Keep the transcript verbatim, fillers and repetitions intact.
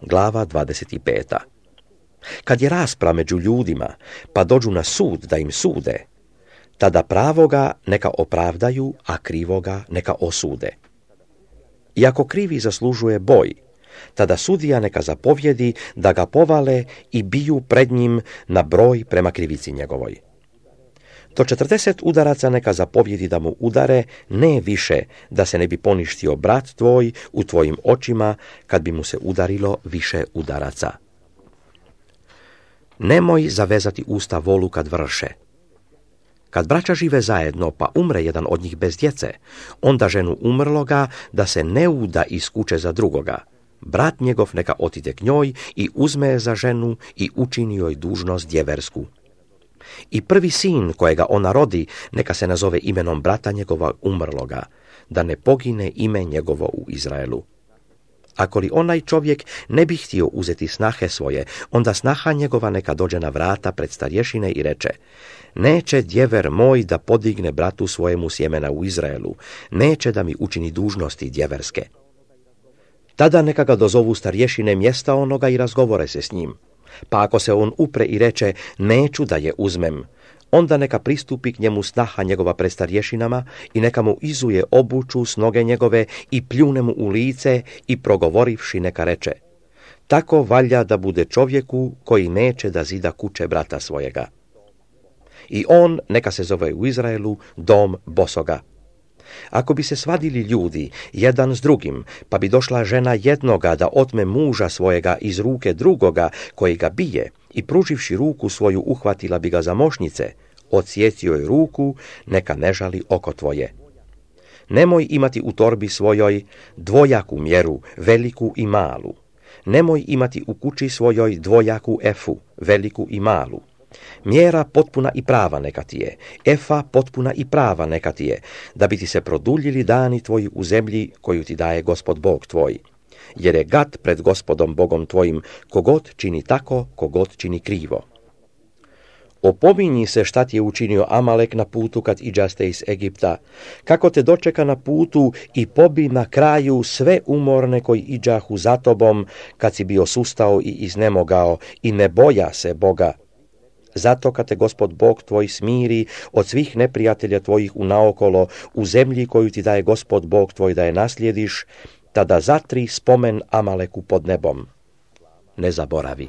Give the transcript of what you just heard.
glava dvadeset pet. Kad je rasprava među ljudima, pa dođu na sud da im sude, tada pravoga neka opravdaju, a krivoga neka osude. I ako krivi zaslužuje boj, tada sudija neka zapovjedi da ga povale i biju pred njim na broj prema krivici njegovoj. Do četrdeset udaraca neka zapovjedi da mu udare, ne više, da se ne bi poništio brat tvoj u tvojim očima, kad bi mu se udarilo više udaraca. Nemoj zavezati usta volu kad vrše. Kad braća žive zajedno, pa umre jedan od njih bez djece, onda ženu umrloga da se ne uda iz kuće za drugoga. Brat njegov neka otide k njoj i uzme je za ženu i učini joj dužnost djeversku. I prvi sin kojega ona rodi neka se nazove imenom brata njegova umrloga, da ne pogine ime njegovo u Izraelu. Ako li onaj čovjek ne bi htio uzeti snahe svoje, onda snaha njegova neka dođe na vrata pred starješine i reče: neće djever moj da podigne bratu svojemu sjemena u Izraelu, neće da mi učini dužnosti djeverske. Tada neka ga dozovu starješine mjesta onoga i razgovore se s njim. Pa ako se on upre i reče: neću da je uzmem, onda neka pristupi k njemu snaha njegova pred starješinama i neka mu izuje obuću s noge njegove i pljune mu u lice i progovorivši neka reče: tako valja da bude čovjeku koji neće da zida kuće brata svojega. I on neka se zove u Izraelu dom bosoga. Ako bi se svadili ljudi jedan s drugim, pa bi došla žena jednoga da otme muža svojega iz ruke drugoga koji ga bije i pruživši ruku svoju uhvatila bi ga za mošnice, odsjecio joj ruku, neka ne žali oko tvoje. Nemoj imati u torbi svojoj dvojaku mjeru, veliku i malu. Nemoj imati u kući svojoj dvojaku efu, veliku i malu. Mjera potpuna i prava neka ti je, efa potpuna i prava neka ti je, da bi ti se produljili dani tvoji u zemlji koju ti daje Gospod Bog tvoj. Jer je gad pred Gospodom Bogom tvojim, kogod čini tako, kogod čini krivo. Opominji se šta ti je učinio Amalek na putu kad iđaste iz Egipta, kako te dočeka na putu i pobi na kraju sve umorne koji iđahu za tobom, kad si bio sustao i iznemogao i ne boja se Boga. Zato kad te Gospod Bog tvoj smiri od svih neprijatelja tvojih unaokolo u zemlji koju ti daje Gospod Bog tvoj da je naslijediš, tada zatri spomen Amaleku pod nebom. Ne zaboravi.